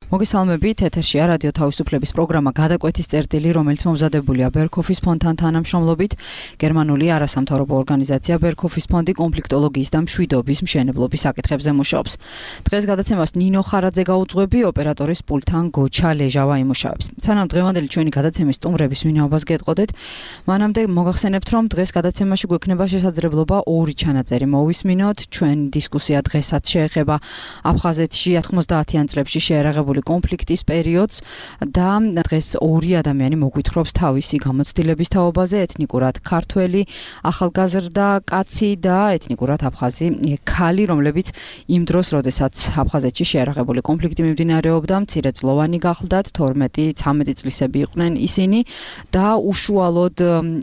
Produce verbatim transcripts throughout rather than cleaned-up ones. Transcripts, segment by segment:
მოგესალმებით, ეთერშია რადიო თავისუფლების პროგრამა გადაკვეთის წერტილი, რომელიც მომზადებულია ბერქოფის ფონდთან თანამშრომლობით. გერმანული არასამთავრობო ორგანიზაცია ბერქოფის ფონდი კონფლიქტოლოგიის და მშვიდობის მშენებლობის საკითხებზე მუშაობს. დღეს გადაცემას ნინო ხარაძე გაუძღვები, ოპერატორის პულტთან გოჩა ლეჟავა იმუშავებს. სანამ დღევანდელი ჩვენი გადაცემის სტუმრების ვინაობას გეტყოდეთ, მანამდე მოგახსენებთ, რომ დღეს გადაცემაში გვექნება შესაძლებლობა ორი ჩანაწერი მოვისმინოთ. ჩვენი დისკუსია დღესაც შეეხება აფხაზეთში ათმოცდაათიან წლებში შეერაღებული კონფლიქტის პერიოდს და დღეს ორი ადამიანი მოგვითხრობს თავისი გამოცდილების თაობაზე, ეთნიკურად ქართველი ახალგაზრდა კაცი და ეთნიკურად აფხაზი ქალი, რომლებიც იმ დროს, როდესაც აფხაზეთში შეერაღებული კონფლიქტი მიმდინარეობდა, მცირეწლოვანი გახლდათ, თორმეტი ცამეტი წლისები იყვნენ ისინი და უშუალოდ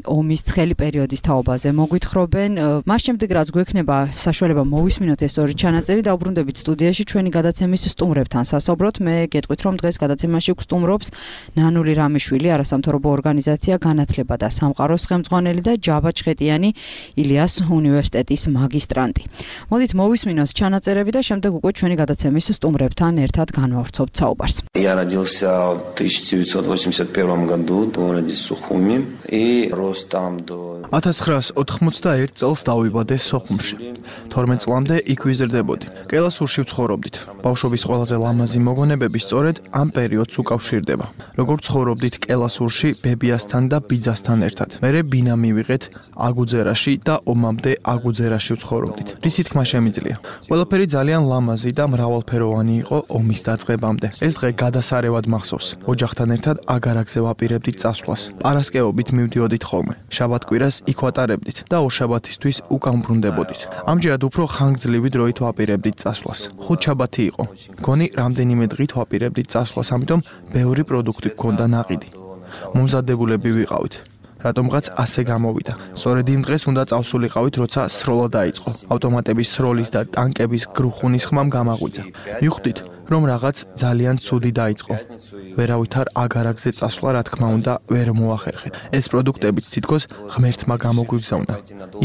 ომის ცხელი პერიოდის თაობაზე მოგვითხრობენ. მას შემდეგ, რაც გვექნება საშუალება მოვისმინოთ ეს ორი ჩანაწერი, დაუბრუნდებით სტუდიაში ჩვენი გადაცემის სტუმრებთან სასაუბროთ. მე გეტყვით, რომ დღეს გადაცემაში გვსტუმრობს ნანული რამიშვილი, არასამთავრობო ორგანიზაცია განათლება და სამყაროს ხელმძღვანელი და ჯაბა ჩხეტიანი, ილიას უნივერსიტეტის მაგისტრანტი. მოდით მოვისმინოთ ჩანაწერები და შემდეგ უკვე ჩვენი გადაცემის სტუმრებთან ერთად განვავრცობთ საუბარს. Я родился в тысяча девятьсот восемьдесят первом году в городе Сухуми и рос там до ათას ცხრაას ოთხმოცდაერთ წელს დავიბადე სოხუმში. თორმეტ წლამდე იქ ვიზრდებოდი. კელასურში ვცხოვრობდით. ბავშვობის ყველაზე ლამაზი მოგონებები სწორედ ამ პერიოდს უკავშირდება. როგორც ცხოვრობდით კელასურში ბებიასთან და ბიძასთან ერთად. მერე ბინა მივიღეთ აგუძერაში და ომამდე აგუძერაში ვცხოვრობდით. რისი თქმა შემიძლია. ყველაფერი ძალიან ლამაზი და მრავალფეროვანი იყო ომის დაწყებამდე. ეს დღე გადასარევად მახსოვს. ოჯახთან ერთად აგარაკზე ვაპირებდით წასვლას. პარასკევობით მივდიოდით ხოლმე. შაბათ-კვირას იქ ვატარებდით და ორშაბათისთვის უკან ბრუნდებოდით. ამჯერად უფრო ხანგრძლივი დროით ვაპირებდით წასვლას. ხუთშაბათი იყო. გონი რამდენიმე დღით ვაპირებდით წასვლას, ამიტომ ბევრი პროდუქტი გქონდა ნაყიდი. მომზადებულები ვიყავით. რატომღაც ასე გამოვიდა. სწორედ იმ დღეს უნდა წავსულიყავით, როცა სროლა დაიწყო. ავტომატების სროლის და ტანკების გრუხუნის ხმამ გამაღვიძა. მივხვდით, რომ რაღაც ძალიან ცუდი დაიწყო. ვერავითარ აგარაკზე წასვლა, რა თქმა უნდა, ვერ მოახერხეთ. ეს პროდუქტებიც თითქოს ღმერთმა გამოგვიგზავნა.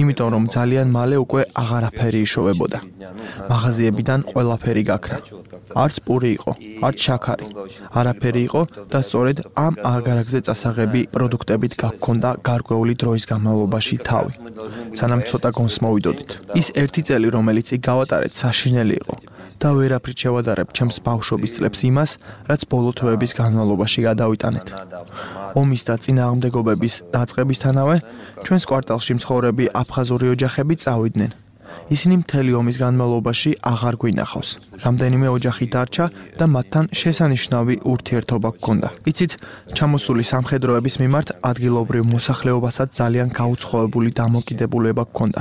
იმიტომ რომ ძალიან მალე უკვე აღარაფერი იშოვებოდა. მაღაზიებიდან ყველაფერი გაქრა. არც პური იყო, არც შაქარი. არაფერი იყო და სწორედ ამ აგარაკზე წასაღები პროდუქტებით გაგქონდა გარკვეული დროის განმავლობაში თავი. სანამ ცოტა გონს მოვიდოდით. ის ერთი წელი, რომელიც იქ გავატარეთ, საშინელი იყო. და ვერაფრით შევადარებ ჩემს ბავშვობის წლებს იმას, რაც ბოლო თვეების განმავლობაში გადავიტანეთ. ომის და წინააღმდეგობების დაწყებისთანავე ჩვენს კვარტალში მცხოვრები აფხაზური ოჯახები წავიდნენ. ისინი მთელი ომის განმავლობაში აღარ გვინახავს. რამდენიმე ოჯახი დარჩა და მათთან შესანიშნავი ურთიერთობა გქონდა. იცით, ჩამოსული სამხედროების მიმართ ადგილობრივ მოსახლეობასაც ძალიან გაუცხოებული დამოკიდებულება გქონდა.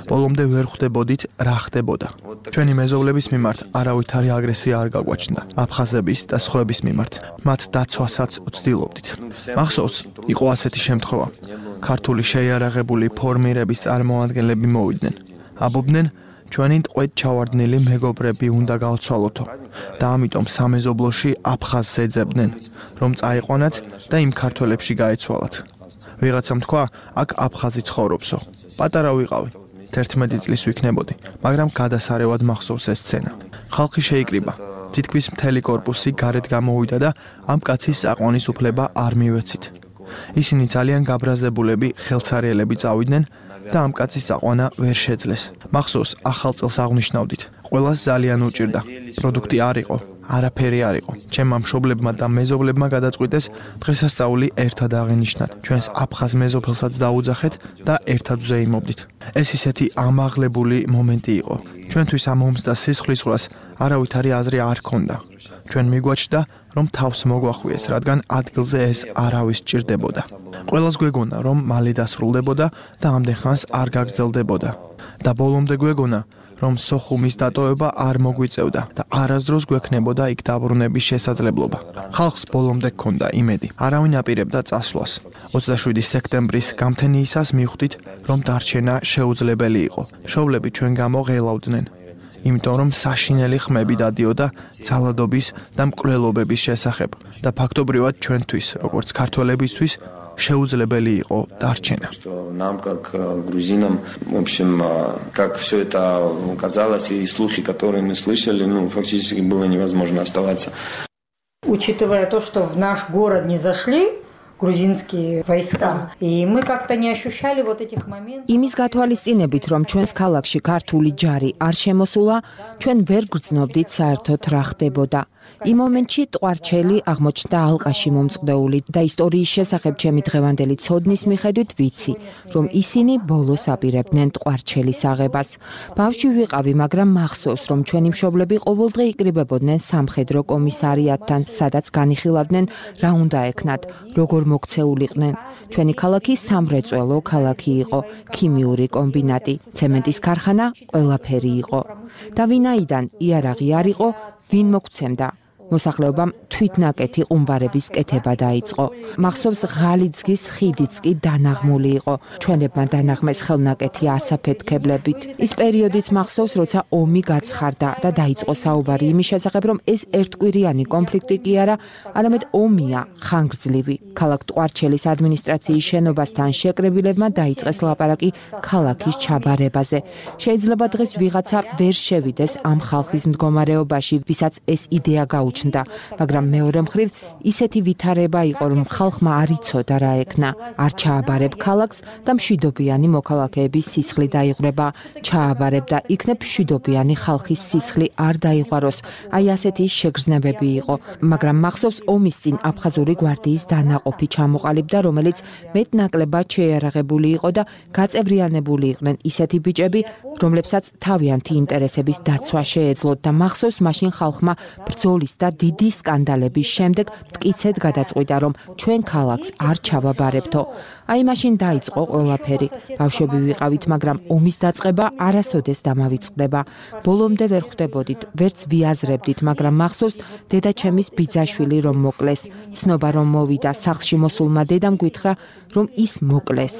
ბოლომდე ვერ ხვდებოდით, რა ხდებოდა. ჩვენი მეზობლების მიმართ არავითარი აგრესია არ გაგვაჩნდა. აფხაზების და სხვების მიმართ მათ დაცვასაც ვცდილობდით. მახსოვს, იყო ასეთი შემთხვევა. ქართული შეიარაღებული ფორმირების წარმომადგენლები მოვიდნენ. აბობდნენ, ჩვენი ტყვედ ჩავარდნილი მეგობრები უნდა გავცვალოთო და ამიტომ სამეზობლოში აფხაზს ეძებდნენ, რომ წაიყვანათ და იმ ქართველებში გაეცვალათ. ვიღაცამ თქვა, აქ აფხაზი ცხოვრობსო. პატარა ვიყავი, თერთმეტი წლის ვიქნებოდი, მაგრამ გადასარევად მახსოვს ეს სცენა. ხალხი შეიკრიბა. თითქმის მთელი კორპუსი გარეთ გამოვიდა და ამ კაცის საყვანის უფლება არ მივეცით. ისინი ძალიან გაბრაზებულები ხელსარიელები წავიდნენ და ამ კაცის საყვანა ვერ შეძლეს. მახსოვს, ახალ წელს აღნიშნავდით. ყველას ძალიან უჭირდა. პროდუქტი არ იყო, არაფერი არ იყო. ჩემმა მშობლებმა და მეზობლებმა გადაწყვიტეს დღესასწაული ერთად აღინიშნათ. ჩვენს აფხაზ მეზობელსაც დაუძახეთ და ერთად ვზეიმობდით. ეს ისეთი ამაღლებული მომენტი იყო. ჩვენთვის ამ ომს და სისხლისღვრას არავითარი აზრი არ ჰქონდა. ჩვენ მიგვაჩნდა, რომ თავს მოგვახვიეს, რადგან ადგილზე ეს არავის ჭირდებოდა. ყველას გვეგონა, რომ მალე დასრულდებოდა და ამდენ ხანს არ გაგრძელდებოდა. და ბოლომდე გვეგონა, რომ სოხუმის დატოვება არ მოგვიწევდა და არასდროს გვექნებოდა იქ დაბრუნების შესაძლებლობა. ხალხს ბოლომდე ჰქონდა იმედი. არავინ აპირებდა წასვლას. ოცდაშვიდი სექტემბრის გამთენიისას მივხვდით, რომ დარჩენა შეუძლებელი იყო. მშობლები ჩვენ გამო ღელავდნენ. იმიტომ რომ საშინელი ხმები დადიოდა ძალადობის და მკვლელობების შესახებ და ფაქტობრივად ჩვენთვის, როგორც ქართველებისთვის, შეუძლებელი იყო დარჩენა. Нам как грузинам, в общем, как все это казалось и слухи, которые мы слышали, ну, фактически было невозможно оставаться. Учитывая то, что в наш город не зашли грузинские войска, и мы как-то не ощущали вот этих моментов. იმის გათვალისწინებით, რომ ჩვენს ქალაქში ქართული ჯარი არ შემოსულა, ჩვენ ვერ გრძნობდით საერთოდ რა ხდებოდა. იმ მომენტში ტყვარჩელი აღმოჩნდა ალყაში მომწყდეული და ისტორიის შესახებ ჩემი დღევანდელი ცოდნის მიხედვით ვიცი, რომ ისინი ბოლოს აპირებდნენ ტყვარჩელის აღებას. ბავშვი ვიყავი, მაგრამ მახსოვს, რომ ჩვენი მშობლები ყოველდღე იკრიბებოდნენ სამხედრო კომისარიატთან, სადაც განიხილავდნენ რა უნდა ეკნათ, როგორ მოქცეულიყვნენ. ჩვენი ქალაქი სამრეწველო ქალაქი იყო, ქიმიური კომბინატი, ცემენტის ქარხანა, ყველაფერი იყო. და ვინაიდან იარაღი არ იყო, ვინ მოგცემდა? მოსახლეობამ თვითნაკეთი ყუმბარების კეთება დაიწყო. მახსოვს ღალიძგის ხიდიც კი დანაღმული იყო. ჩვენებმა დანაღმეს ხელნაკეთი ასაფეთქებლებით. ის პერიოდიც მახსოვს, როცა ომი გაცხარდა და დაიწყო საუბარი იმის შესახებ, რომ ეს ერთკვირიანი კონფლიქტი კი არა, არამედ ომია, ხანგრძლივი. ქალაქ ტყვარჩელის ადმინისტრაციის შენობასთან შეკრებილებმა დაიწყეს ლაპარაკი ქალაქის ჩაბარებაზე. შეიძლება დღეს ვიღაცა ვერ შევიდეს ამ ხალხის მდგომარეობაში, ვისაც ეს იდეა გაუჩნდა. მაგრამ მეორე მხრივ ისეთი ვითარება იყო, რომ ხალხმა არ იცოდა რა ეკნა. არ ჩააბარებ ქალაქს და მშვიდობიანი მოქალაქეების სისხლი დაიღვრება. ჩააბარებ და იქნებ მშვიდობიანი ხალხის სისხლი არ დაიღაროს. აი ასეთი შეგრძნებები იყო. მაგრამ მახსოვს ომის წინ აფხაზური გვარდიის დანაყოფი ჩამოყალიბდა, რომელიც მეტნაკლებად შეიარაღებული იყო და გაწევრიანებული იყვნენ ისეთი ბიჭები, რომლებსაც თავიანთი ინტერესების დაცვა შეეძლოთ და მახსოვს მაშინ ხალხმა ბრძოლის და დიდი სკანდალების შემდეგ მტკიცედ გადაწყვიტა, რომ ჩვენ ქალაქს არ ჩავაბარებთო. აი მაშინ დაიწყო ყველაფერი. ბავშვები ვიყავით, მაგრამ ომის დაწყება არასოდეს დამავიწყდება. ბოლომდე ვერ ხვდებოდით, ვერც ვიაზრებდით, მაგრამ მახსოვს დედაჩემის ბიძაშვილი რომ მოკლეს. ცნობა რომ მოვიდა სახლში მოსულმა დედამ გითხრა, რომ ის მოკლეს.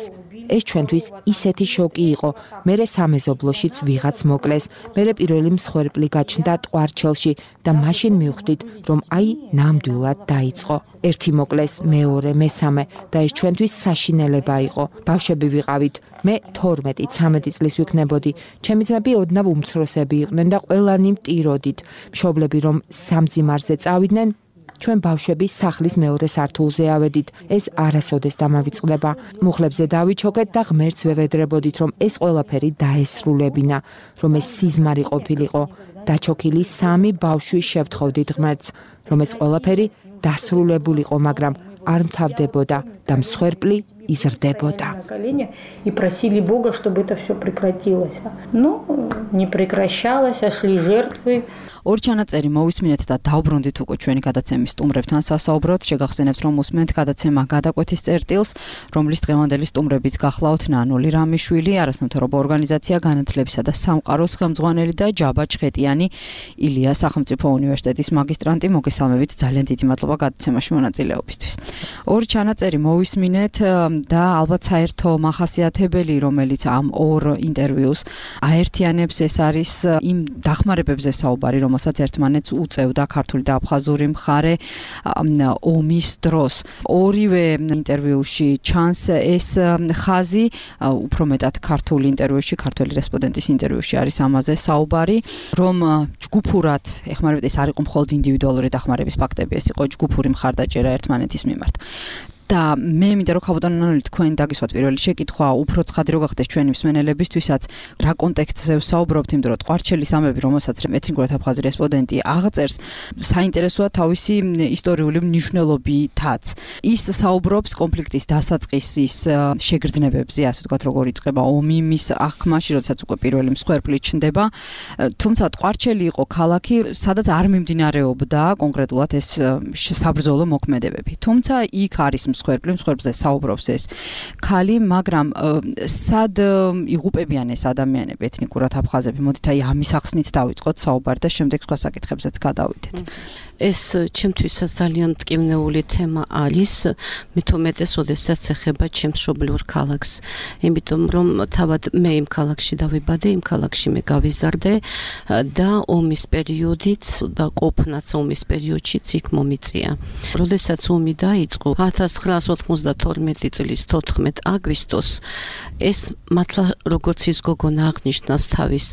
ეს ჩვენთვის ისეთი შოკი იყო. მერე სამეზობლოშიც ვიღაც მოკლეს. მერე პირველი მსხვერპლი გაჩნდა ტყვარჩელში და მაშინ მივხვდით, რომ აი ნამდვილად დაიწყო. ერთი მოკლეს, მეორე, მესამე და ეს ჩვენთვის საშინელება იყო. ბავშვები ვიყავით. მე თორმეტი ცამეტი წლის ვიქნებოდი. ჩემი ძმები ოდნავ უმცროსები იყვნენ და ყველანი მტიროდით. მშობლები რომ სამძიმარზე წავიდნენ, ჩვენ ბავშვები სახლის მეორე სართულზე ავედით. ეს არასოდეს დამავიწყდება. მუხლებზე დავიჩოქეთ და ღმერთს ვევედრებოდით, რომ ეს ყველაფერი დაესრულებინა, რომ ეს სიზმარი ყოფილიყო. დაჩოქილი სამი ბავშვი შევთხოვდით ღმერთს, რომ ეს ყველაფერი დასრულებულიყო, მაგრამ არ მთავდებოდა და მსხვერპლი იზრდებოდა. И просили Бога, чтобы это все прекратилось. Но не прекращалось, а шли жертвы. ორი ჩანაწერი მოვისმინეთ და დავბრუნდით უკვე ჩვენი გადაცემის სტუმრებთან სასაუბროთ. შეგახსენებთ, რომ უსმენთ გადაცემა გადაკვეთის წერტილს, რომლის დღევანდელი სტუმრებიც გახლავთ ნანული რამიშვილი, არასამთავრობო ორგანიზაცია განათლებისა და სამყაროს ხელმძღვანელი და ჯაბა ჩხეტიანი, ილია სახელმწიფო უნივერსიტეტის მაგისტრანტი. მოგესალმებით, ძალიან დიდი მადლობა გადაცემაში მონაწილეობისთვის. ორი ჩანაწერი მოვისმინეთ და ალბათ საერთო მახასიათებელი, რომელიც ამ ორ ინტერვიუს აერთიანებს, ეს არის იმ დახმარებებზე საუბარი, რომელსაც ერთმანეთს უწევდა ქართული და აფხაზური მხარე ომის დროს. ორივე ინტერვიუში ჩანს ეს ხაზი, უფრო მეტად ქართული ინტერვიუში, ქართველი რესპონდენტის ინტერვიუში არის ამაზე საუბარი, რომ ჯგუფურად ეხმარებოდა, ეს არ იყო მხოლოდ ინდივიდუალური დახმარების ფაქტები, ეს იყო ჯგუფური მხარდაჭერა ერთმანეთის მიმართ. და მე მინდა რომ ხაბატონანული თქვენ დაგისვათ პირველი შეკითხვა, უფრო ცხადი რო გახდეს ჩვენი მსმენელებისთვისაც, რა კონტექსტზე ვსაუბრობთ, იმიტომ რომ ტყვარჩელის ამბები, რომელსაც ეთნიკურად აფხაზი რესპონდენტი აღწერს, საინტერესოა თავისი ისტორიული მნიშვნელობითაც. ის საუბრობს კონფლიქტის დასაწყისის შეგრძნებებზე, ასე ვთქვათ, როგორ იწყება ომი მის აღქმაში, როდესაც უკვე პირველი მსხვერპლი ჩნდება. თუმცა ტყვარჩელი იყო ქალაქი, სადაც არ მიმდინარეობდა კონკრეტულად ეს საბრძოლო მოქმედებები. თუმცა იქ არის მსხვერპლი, მსხვერპლზე საუბრობს ეს ქალი, მაგრამ სად იღუპებიან ეს ადამიანები, ეთნიკურად აფხაზები? მოდით აი ამის ახსნით დავიწყოთ საუბარი და შემდეგ სხვა საკითხებზეც გადავიდეთ. ეს ჩემთვისაც ძალიან მტკივნეული თემა არის, მით უმეტეს, როდესაც ეხება ჩემს მშობლიურ ქალაქს. იმიტომ რომ თავად მე იმ ქალაქში დავიბადე, იმ ქალაქში მე გავიზარდე და ომის პერიოდიც და ყოფნაც ომის პერიოდშიც იქ მომიწია. როდესაც ომი დაიწყო ათას ცხრაას ოთხმოცდათორმეტი წლის თოთხმეტ აგვისტოს, ეს მართლა როგორც ის გოგონა აღნიშნავს თავის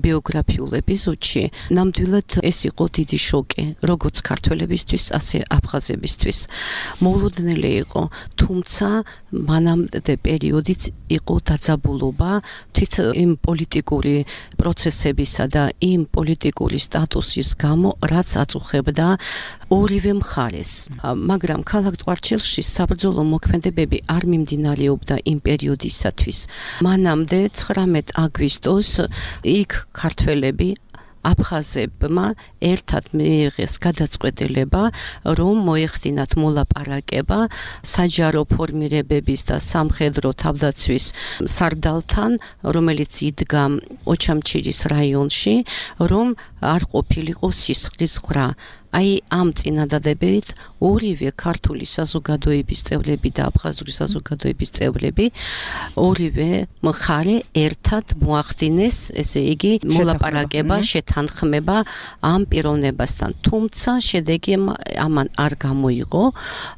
ბიოგრაფიულ ეპიზოდში, ნამდვილად ეს იყო დიდი შოკი. როგორც ქართველებისთვის, ასე აფხაზებისთვის. მოულოდნელი იყო, თუმცა მანამდე პერიოდიც იყო დაძაბულობა თვით იმ პოლიტიკური პროცესებისა და იმ პოლიტიკური სტატუსის გამო, რაც აწუხებდა ორივე მხარეს. მაგრამ ქალაქ ტყვარჩელში საბრძოლო მოქმედებები არ მიმდინარეობდა იმ პერიოდისათვის. მანამდე ცხრამეტ აგვისტოს იქ ქართველები აფხაზებმა ერთად მიიღეს გადაწყვეტილება, რომ მოეხდინათ მოლაპარაკება საჯარო ფორმირებების და სამხედრო თავდაცვის სარდალთან, რომელიც იდგა ოჩამჩირის რაიონში, რომ არ ყოფილიყო სისხლის ხრა. აი ამ წინადადებებით ორივე ქართული საზოგადოების წევრები და აფხაზური საზოგადოების წევრები ორივე მხარე ერთად მოახდინეს, ესე იგი, მოლაპარაკება, შეთანხმება ამ პიროვნებასთან. თუმცა შედეგი ამან არ გამოიღო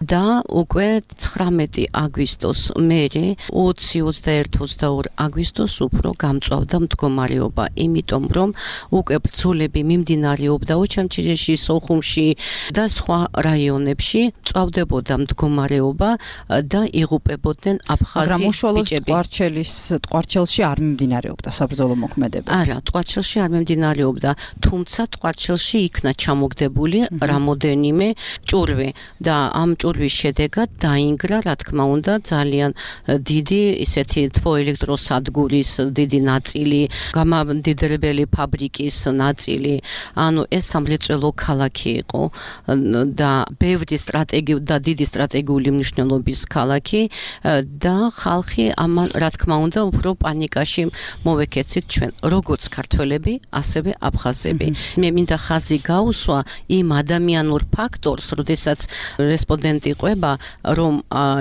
და უკვე ცხრამეტი აგვისტოს მერე ოცი, ოცდაერთი, ოცდაორი აგვისტოს უფრო გამწვავდა მდგომარეობა, იმიტომ რომ უკვე ბრძოლები მიმდინარეობდა ოჩამჩირეში, სოხუმში და სხვა რაიონებში, წავდებოდა მდგომარეობა და იღუპებოდნენ აფხაზი მაგრამ უშუალოდ ბიჭები. ტყვარჩელის ტყვარჩელში არ მიმდინარეობდა საბრძოლო მოქმედება. არა, ტყვარჩელში არ მიმდინარეობდა, თუმცა ტყვარჩელში იქნა ჩამოგდებული რამოდენიმე ჭურვი და ამ ჭურვის შედეგად დაინგრა, რა თქმა უნდა, ძალიან დიდი ისეთი თბოელექტროსადგურის დიდი ნაწილი, გამამდიდრებელი ფაბრიკის ნაწილი, ანუ ეს სამრეწველო ქალაქი იყო და ბევრი სტრატეგიული და დიდი სტრატეგიული მნიშვნელობის ქალაქი და ხალხი ამან, რა თქმა უნდა, უფრო პანიკაში მოვეკეცით ჩვენ, როგორც ქართველები, ასევე აფხაზები. მე მინდა ხაზი გაუსვა იმ ადამიანურ ფაქტორს, როდესაც რესპონდენტი ყვება, რომ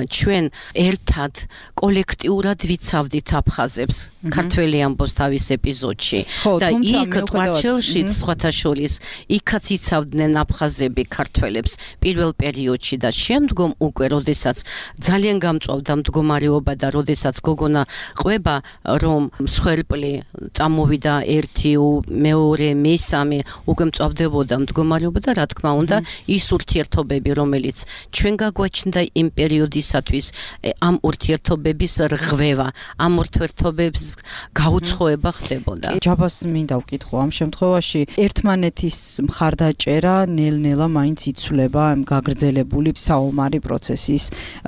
ჩვენ ერთად კოლექტიურად ვიცავდით აფხაზებს, ქართველი ამბობს თავის ეპიზოდში და იქ ტყვარჩელში სხვათა შორის იქაც იცავდნენ აფხაზები ქართველებს პირველ პერიოდში და შემდგომ უკვე, როდესაც ძალიან გამწვავდა მდგომარეობა და როდესაც გოგონა ყვება, რომ მსხვერპლი წამოვიდა ერთი, მეორე, მესამე, უკვე მწვავდებოდა მდგომარეობა და რა თქმა უნდა, ის ურთიერთობები, რომელიც ჩვენ გაგვაჩნდა იმ პერიოდისათვის, ამ ურთიერთობების რღვევა, ამ ურთიერთობების გაუცხოება ხდებოდა. ჯაბას მინდა ვკითხო ამ შემთხვევაში, ერთმანეთის მხარდაჭერა ნელ-ნელა მაინც იცვლება ამ გაგრძელებული საომარი პროცესის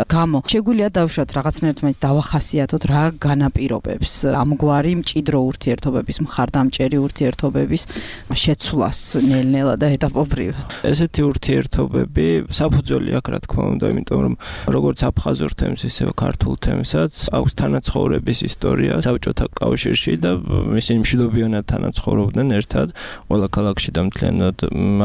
გამო. შეგვიძლია დავუშვათ რაღაცნაირად მაინც დავახასიათოთ რა განაპირობებს ამგვარი მჭიდრო ურთიერთობების, მხარდამჭერი ურთიერთობების შეცვლას ნელ-ნელა და ეტაპობრივად. ესეთი ურთიერთობები საფუძველი აქვს, რა თქმა უნდა, იმიტომ რომ როგორც აფხაზურ თემს, ისევე ქართულ თემსაც აქვს თანაცხოვრების ისტორია საბჭოთა კავშირში და ისინი მშვიდობიანად თანაცხოვრობდნენ ერთად ყველა ქალაქში და მთლიანად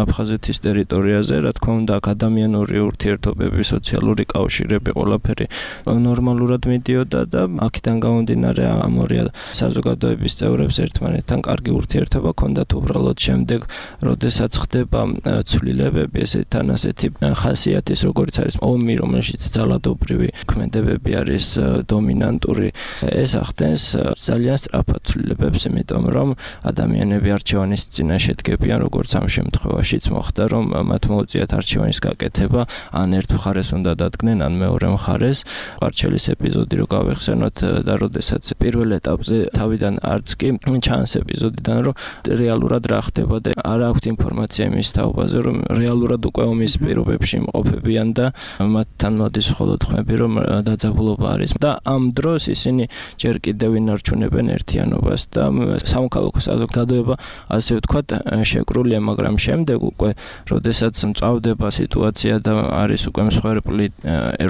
აფხაზეთის ტერიტორიაზე, რა თქმა უნდა, ადამიანური ურთიერთობები, სოციალური კავშირები, ყველაფერი ნორმალურად მიდიოდა და აქედან გამომდინარე ამ ორი საზოგადოების წევრებს ერთმანეთთან კარგი ურთიერთობა ჰქონდათ უბრალოდ შემდეგ, როდესაც ხდება ცვლილებები, ესეთი თან ასეთი ხასიათის, როგორც არის ომი, რომელშიც ძალადობრივი ქმედებები არის დომინანტური, ეს ახდენს ძალიან სწრაფად ცვლილებებს, იმიტომ რომ ადამიანები არჩევანის წინაშე დგებიან, როგორც ამ შემთხვევაშიც მოხდა, რომ მათ მოუწიათ არჩევანის გაკეთება, ან ერთ მხარეს უნდა დადგნენ, ან მეორე მხარეს. ტყვარჩელის ეპიზოდი რო გავეხსენოთ და როდესაც პირველ ეტაპზე თავიდან არც კი ჩანს ეპიზოდიდან, რომ რეალურად რა ხდება და არ აქვთ ინფორმაცია იმის თაობაზე, რომ რეალურად უკვე ომის პირობებში იმყოფებიან და მათთან მოდის მხოლოდ ხმები, რომ დაძაბულობა არის და ამ დროს ისინი ჯერ კიდევ ინარჩუნებენ ერთიანობას და სამოქალაქო საზოგადოება, ასე ვთქვათ, შეკრულია, მაგრამ შემდეგ უკვე, როდესაც მწავდება სიტუაცია და არის უკვე მსხვერპლი,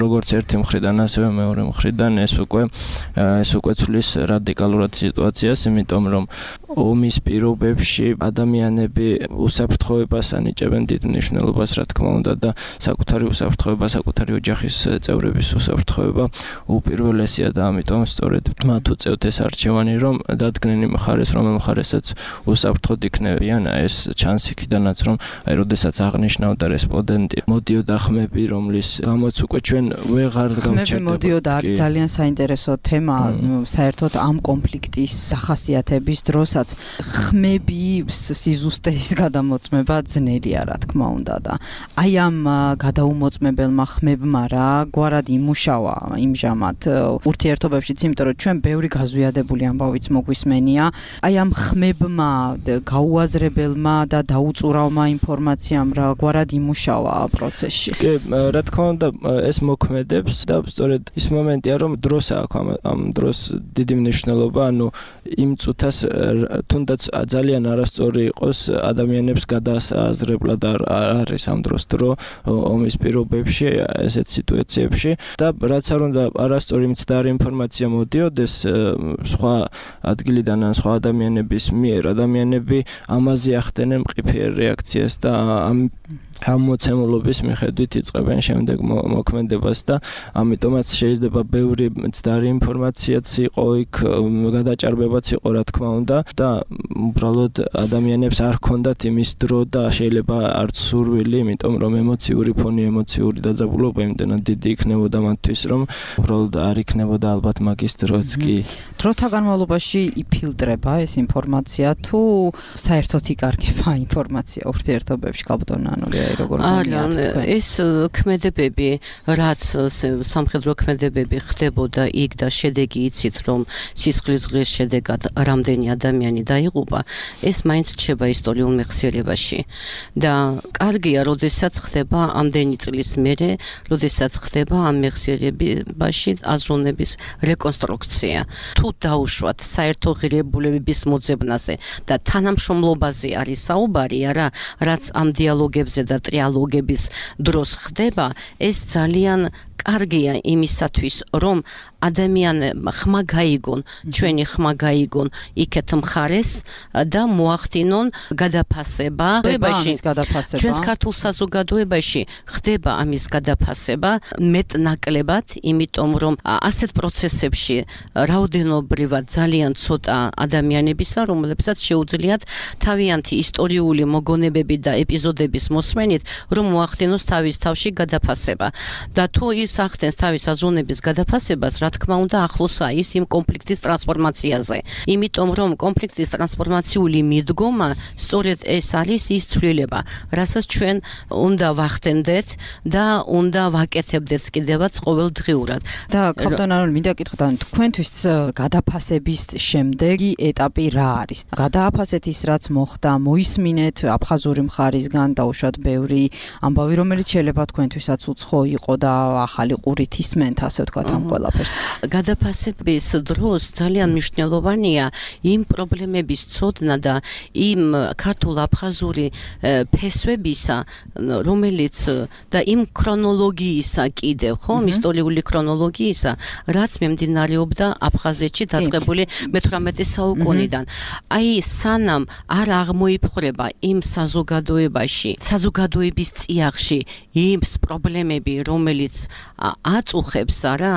როგორც ერთი მხრიდან, ასევე მეორე მხრიდან, ეს უკვე ეს უკვე ცვლის რადიკალურად სიტუაციას, იმიტომ რომ ომის პირობებში ადამიანები უსაფრთხოებას ანიჭებენ დიდ მნიშვნელობას, რა თქმა უნდა, და საკუთარი უსაფრთხოება, საკუთარი ოჯახის წევრების უსაფრთხოება უპირველესია და ამიტომ სწორედ მათ უწევთ ეს არჩევანი, რომ დადგნენ იმ მხარეს, რომელ მხარესაც უსაფრთხოდ იქნება მეუბნებიან ეს ჩანს იქიდანაც რომ აი როდესაც აღნიშნავდა რესპონდენტი მოდიოდა ხმები რომლის გამოც უკვე ჩვენ ვეღარ გავჩერდებოდა ხმები მოდიოდა არის ძალიან საინტერესო თემა საერთოდ ამ კონფლიქტის სახასიათების დროსაც ხმები სიზუსტეის გადამოწმება ძნელია რა თქმა უნდა და აი ამ გადაუმოწმებელმა ხმებმა რა გვარად იმუშავა იმჟამად ურთიერთობებშიც იმიტომ რომ ჩვენ ბევრი გაზვიადებული ამბავიც მოგვისმენია აი ამ ხმებმა გაუაზრებელმა და დაუწურავმა ინფორმაციამ რა გვარად იმუშავა პროცესში კი რა თქმა უნდა ეს მოქმედებს და სწორედ ის მომენტია რომ დროს აქვს ამ დროს დიდი მნიშვნელობა ანუ იმ წუთას თუნდაც ძალიან არასწორი იყოს ადამიანებს გადააზრებლად არ არის ამ დროს დრო ომის პირობებში ესეთ სიტუაციებში და რაც არ უნდა არასწორი მცდარი ინფორმაცია მოდიოდეს სხვა ადგილიდან ან სხვა ადამიანების მიერ ადამიანები ამაზე ახდენენ მყიფიერ რეაქციას და ამ ამ მოცემულობის მიხედვით იწყებენ შემდეგ მოქმედებას და ამიტომაც შეიძლება ბევრი მცდარი ინფორმაციაც იყო იქ გადაჭარბებაც იყო რა თქმა უნდა და უბრალოდ ადამიანებს არ ჰქონდათ იმის დრო და შეიძლება არც სურვილი იმიტომ რომ ემოციური ფონი ემოციური დაძაბულობა იმდენად დიდი იქნებოდა მათთვის რომ უბრალოდ არ იქნებოდა ალბათ მაგის დროც კი დროთა განმავლობაში იფილტრება ეს ინფორმაცია თუ საერთოდ იკარგება ინფორმაცია ურთიერთობებში კაბტონანური აი როგორ არიან ეს ქმედებები რაც სამხედრო ქმედებები ხდებოდა იქ და შედეგი იცით რომ სისხლისღლის შედეგად რამდენი ადამიანი დაიღუპა ეს მაინც რჩება ისტორიულ მეხსიერებაში და კარგია როდესაც ხდება ამდენი წლის მერე როდესაც ხდება ამ მეხსიერებაში აზროვნების რეკონსტრუქცია თუ დაუშვათ საერთო ღირებულებების მოძებნაზე და თანამშრომლობაზე არის საუბარი არა რაც ამ დიალოგებზე და ტრიალოგების დროს ხდება ეს ძალიან კარგია იმისათვის რომ ადამიანებმა ხმა გაიგონ ჩვენი ხმა გაიგონ იქეთ მხარეს და მოახდინონ გადაფასება ჩვენს ქართულ საზოგადოებაში ხდება ამის გადაფასება მეტნაკლებად იმიტომ რომ ასეთ პროცესებში რაოდენობრივად ძალიან ცოტა ადამიანებისა რომლებსაც შეუძლიათ თავიანთი ისტორიული მოგონებები და ეპიზოდების მოსმენით რომ მოახდინოს თავის თავში გადაფასება და თუ ის ახდენს თავის აზროვნების გადაფასებას რა თქმა უნდა ახლოსა ის იმ კონფლიქტის ტრანსფორმაციაზე იმიტომ რომ კონფლიქტის ტრანსფორმაციული მიდგომა სწორედ ეს არის ის ცვლილება რასაც ჩვენ უნდა ვახდენდეთ და უნდა ვაკეთებდეთ კიდევაც ყოველდღიურად და კაპტონანული მინდა კითხოთ ან თქვენთვის გადაფასების შემდეგი ეტაპი რა არის გადააფასეთ ის რაც მოხდა მოისმინეთ აფხაზური მხარისგან დაუშვათ ბევრი ამბავი რომელიც შეიძლება თქვენთვისაც უცხო იყო და ახალი ყურით ისმენთ ასე ვთქვათ ამ ყველაფერს გადაფასების დროს ძალიან მნიშვნელოვანია იმ პრობლემების ცოდნა და იმ ქართულ-აფხაზური ფესვებისა რომელიც და იმ ქრონოლოგიისა კიდევ ხო ისტორიული ქრონოლოგიისა რაც მიმდინარეობდა აფხაზეთში დაწყებული მეთვრამეტე საუკუნიდან აი სანამ არ აღმოიფხვრება იმ საზოგადოებაში საზოგადოების წიაღში იმ პრობლემები რომელიც აწუხებს არა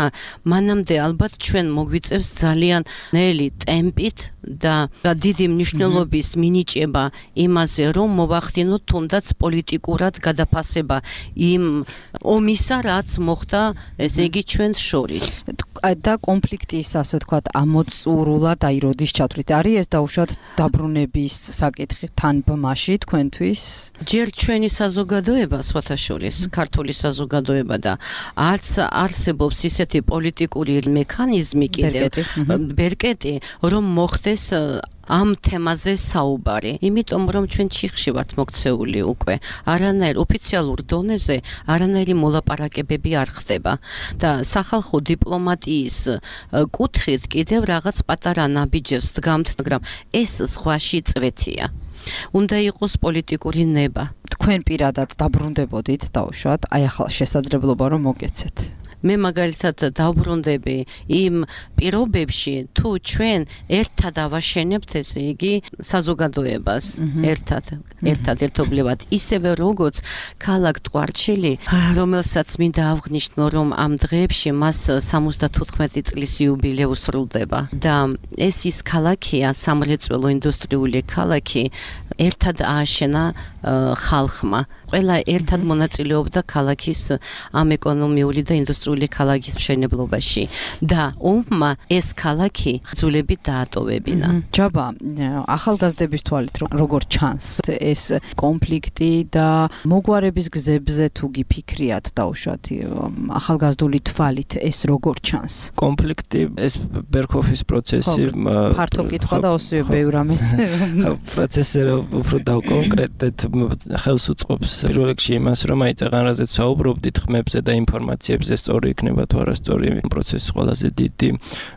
მანამდე ალბათ ჩვენ მოგვიწევს ძალიან ნელი ტემპით და დიდი მნიშვნელობის მინიჭება იმაზე რომ მოვახდინოთ თუნდაც პოლიტიკურად გადაფასება იმ ომისა რაც მოხდა ესე იგი ჩვენს შორის და კონფლიქტის ასე ვთქვათ ამოწურულად აი როდის ჩათვლით არის ეს დაუშვათ დაბრუნების საკითხი თან ბმაში თქვენთვის ჯერ ჩვენი საზოგადოება სხვათა შორის ქართული საზოგადოება და არც არსებობს ისეთი პოლიტიკური მექანიზმი კიდევ ბერკეტი რომ მოხდეს ამ თემაზე საუბარი იმიტომ რომ ჩვენ ჩიხში ვართ მოქცეული უკვე არანაირ ოფიციალურ დონეზე არანაირი მოლაპარაკებები არ ხდება და სახალხო დიპლომატიის კუთხით კიდევ რაღაც პატარა ნაბიჯებს დგამთ მაგრამ ეს სხვაში წვეთია უნდა იყოს პოლიტიკური ნება თქვენ პირადად დაბრუნდებოდით დაუშვათ აი ახლა შესაძლებლობა რომ მოგეცეთ მე მაგალითად დავბრუნდები იმ პირობებში თუ ჩვენ ერთად ავაშენებთ ესე იგი საზოგადოებას ერთად ერთად ერთობლივად ისევე როგორც ქალაქ ტყვარჩელი რომელსაც მინდა აღვნიშნო რომ ამ დღეებში მას სამოცდათოთხმეტი წლის იუბილეი სრულდება და ეს ის ქალაქია სამრეწველო ინდუსტრიული ქალაქი ერთად ააშენა ხალხმა. ყველა ერთად მონაწილეობდა ქალაქის ამ ეკონომიური და ინდუსტრიული ქალაქის მშენებლობაში და ომმა ეს ქალაქი ძულებით დაატოვებინა. ჯაბა, ახალგაზრდების თვალით როგორ ჩანს ეს კონფლიქტი და მოგვარების გზებზე თუ გიფიქრიათ დაუშვათ ახალგაზრდული თვალით ეს როგორ ჩანს? კონფლიქტი ეს ბერქოფის პროცესი ფართო კითხვა და ოსიო ბევრ ამის პროცესი უფრო დავკონკრეტეთ ხელს უწყობს პირველ რიგში იმას რომ აი წეგან რაზეც საუბრობდით ხმებზე და ინფორმაციებზე სწორი იქნება თუ არასწორი პროცესის ყველაზე დიდი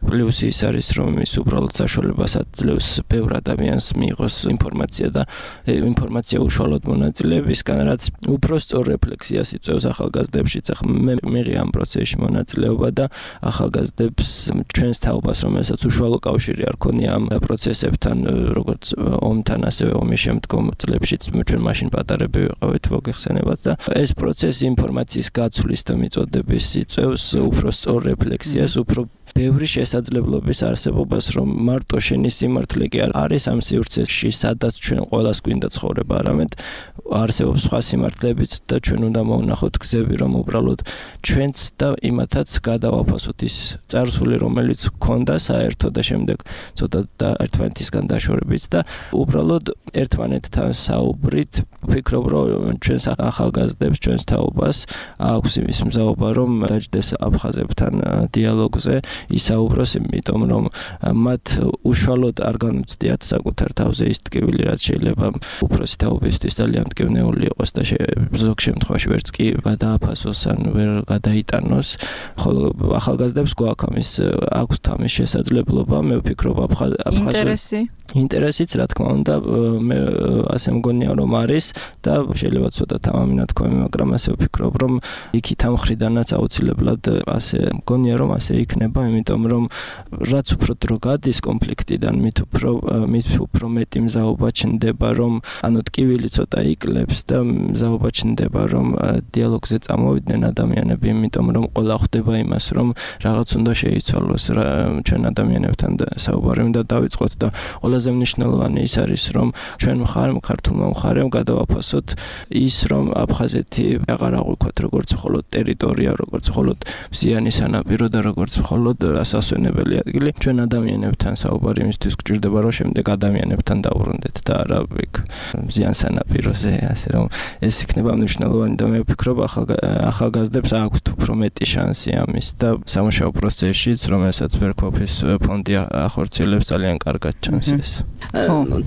პლუსი ის არის რომ ის უბრალოდ საშუალებას აძლევს ბევრ ადამიანს მიიღოს ინფორმაცია და ინფორმაცია უშუალოდ მონაწილეებისგან რაც უფრო სწორ რეფლექსიას იწვევს ახალგაზრდებშიც. ახლა მე მიღე ამ პროცესში მონაწილეობა და ახალგაზრდებს ჩვენს თაობას რომელსაც უშუალო კავშირი არ ქონია ამ პროცესებთან როგორც ომთან ასევე ომის შემდგომ წლებშიც ჩვენ მაშინ პატარები ვიყავით მოგეხსენებათ და ეს პროცესი ინფორმაციის გაცვლის და მიწოდების იწევს უფრო სწორ რეფლექსიას, უფრო ბევრი შესაძლებლობის არსებობას რომ მარტო შენი სიმართლე კი არ არის ამ სივრცეში სადაც ჩვენ ყველას გვინდა ცხოვრება, არამედ არსებობს სხვა სიმართლეებიც და ჩვენ უნდა მოვნახოთ გზები რომ უბრალოდ ჩვენც და იმათაც გადავაფასოთ ის წარსული რომელიც გქონდა საერთო და შემდეგ ცოტა და ერთმანეთისგან დაშორებით და უბრალოდ ერთმანეთთან საუბრით ვფიქრობ რომ ჩვენს ახალგაზრდებს ჩვენს თაობას აქვს იმის მზაობა რომ დაჯდეს აფხაზებთან დიალოგზე ისაუბროს იმიტომ რომ მათ უშუალოდ არ განუცდიათ საკუთარ თავზე ის ტკივილი რაც შეიძლება უფროსი თაობისთვის ძალიან მტკივნეული იყოს და ზოგ შემთხვევაში ვერც კი გადააფასოს ან ვერ გადაიტანოს ხოლო ახალგაზრდებს გვაქვს ამის აქვს თამის შესაძლებლობა მე ვფიქრობ აფხაზ ინტერესი ინტერესიც რა თქმა უნდა მე ასე მგონია რომ არის და შეიძლება ცოტა თამამინად თქვენ მაგრამ ასე ვფიქრობ რომ იქით ამ ხრიდანაც აუცილებლად ასე მგონია რომ ასე იქნება იმიტომ რომ რაც უფრო დრო გადის კონფლიქტიდან მით უფრო მით უფრო მეტი მზაობა ჩნდება რომ ანუ ტკივილი ცოტა იკლებს და მზაობა ჩნდება რომ დიალოგზე წამოვიდნენ ადამიანები იმიტომ რომ ყველა ხვდება იმას რომ რაღაც უნდა შეიცვალოს ჩვენ ადამიანებთან და საუბარი უნდა დავიწყოთ და ყველაზე მნიშვნელოვანი ის არის რომ ჩვენ მხარემ ქართულმა მხარემ გადავაფასოთ ის რომ აფხაზეთი აღარ აღვიქვათ როგორც მხოლოდ ტერიტორია როგორც მხოლოდ მზიანი სანაპირო და როგორც მხოლოდ ასასვენებელი ადგილი ჩვენ ადამიანებთან საუბარი იმისთვის გვჭირდება რომ შემდეგ ადამიანებთან დავბრუნდეთ და არა იქ მზიან სანაპიროზე ასე რომ ეს იქნება მნიშვნელოვანი და მე ვფიქრობ ახალგაზრდებს აქვს უფრო მეტი შანსი ამის და სამუშაო პროცესშიც რომელსაც ბერქოფის ფონდი ახორციელებს ძალიან კარგად ჩანს ეს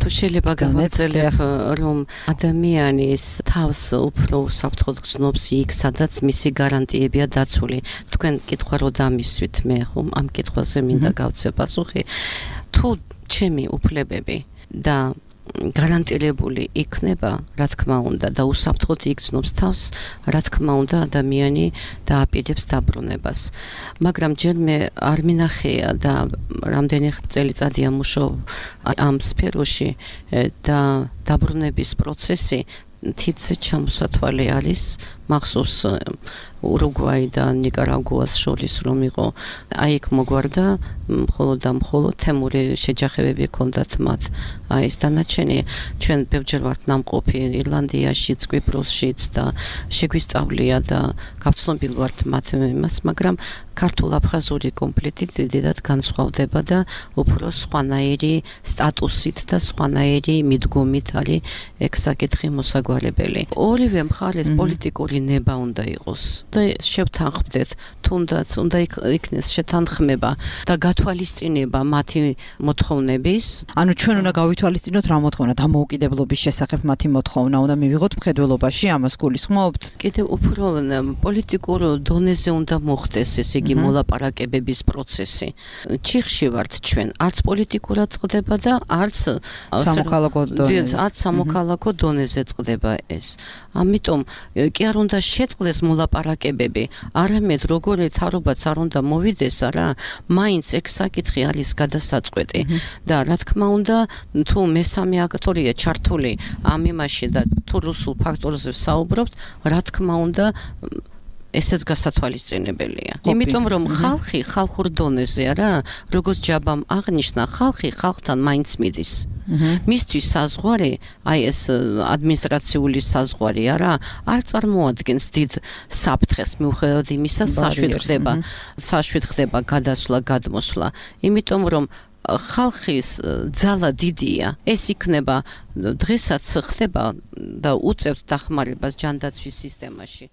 თუ შეიძლება გავაგრძელებ რომ ადამიანის თავს უფრო საფრთხოდ გრძნობს იქ სადაც მისი გარანტიებია დაცული თქვენ კითხვა რო დამისვით მე ხომ ამ კითხვაზე მინდა გავცე პასუხი თუ ჩემი უფლებები და გარანტირებული იქნება რა თქმა უნდა და უსაფრთხოდ იგრძნობს თავს რა თქმა უნდა ადამიანი დააპირებს დაბრუნებას მაგრამ ჯერ მე არ მინახია და რამდენი წელიწადია მუშაობ ამ სფეროში და დაბრუნების პროცესი თითზე ჩამოსათვალე არის მახსოვს ურუგვაი და ნიკარაგუას შორის რომ იყო აი იქ მოგვარდა მხოლოდ და მხოლოდ თემური შეჯახებები ჰქონდათ მათ აი ეს დანარჩენი ჩვენ ბევრჯერ ვართ ნამყოფი ირლანდიაშიც კვიპროსშიც და შეგვისწავლია და გავცნობილ ვართ მათ იმას მაგრამ ქართულ-აფხაზური კონფლიქტი დიდად განსხვავდება და უფრო სხვანაირი სტატუსით და სხვანაირი მიდგომით არის ეგ საკითხი მოსაგვარებელი ორივე მხარეს პოლიტიკური ნება უნდა იყოს და შევთანხმდეთ თუნდაც უნდა იქნეს შეთანხმება და გათვალისწინება მათი მოთხოვნების ანუ ჩვენ უნდა გავითვალისწინოთ რა მოთხოვნა დამოუკიდებლობის შესახებ მათი მოთხოვნა უნდა მივიღოთ მხედველობაში ამას გულისხმობთ კიდევ უფრო პოლიტიკურ დონეზე უნდა მოხდეს ესე იგი მოლაპარაკებების პროცესი ჩიხში ვართ ჩვენ არც პოლიტიკურად წყდება და არც სამოქალაქო დონეზე არც სამოქალაქო დონეზე წყდება ეს ამიტომ კი არ უნდა შეწყდეს მოლაპარაკებები არამედ როგორი თავრობაც არ უნდა მოვიდეს არა მაინც ეგ საკითხი არის გადასაწყვეტი და რა თქმა უნდა თუ მესამე აქტორია ჩართული ამ იმაში და თუ რუსულ ფაქტორზე საუბრობთ რა თქმა უნდა ესეც გასათვალისწინებელია. იმიტომ რომ ხალხი ხალხურ დონეზე არა, როგორც ჯაბამ აღნიშნა, ხალხი ხალხთან მაინც მიდის. მისთვის საზღვარი, აი ეს ადმინისტრაციული საზღვარი არა, არ წარმოადგენს დიდ საფრთხეს მიუხედავად იმისა, საშვით ხდება, საშვით ხდება გადასვლა, გადმოსვლა. იმიტომ რომ ხალხის ძალა დიდია. ეს იქნება დღესაც ხდება და უწევთ დახმარებას ჯანდაცვის სისტემაში.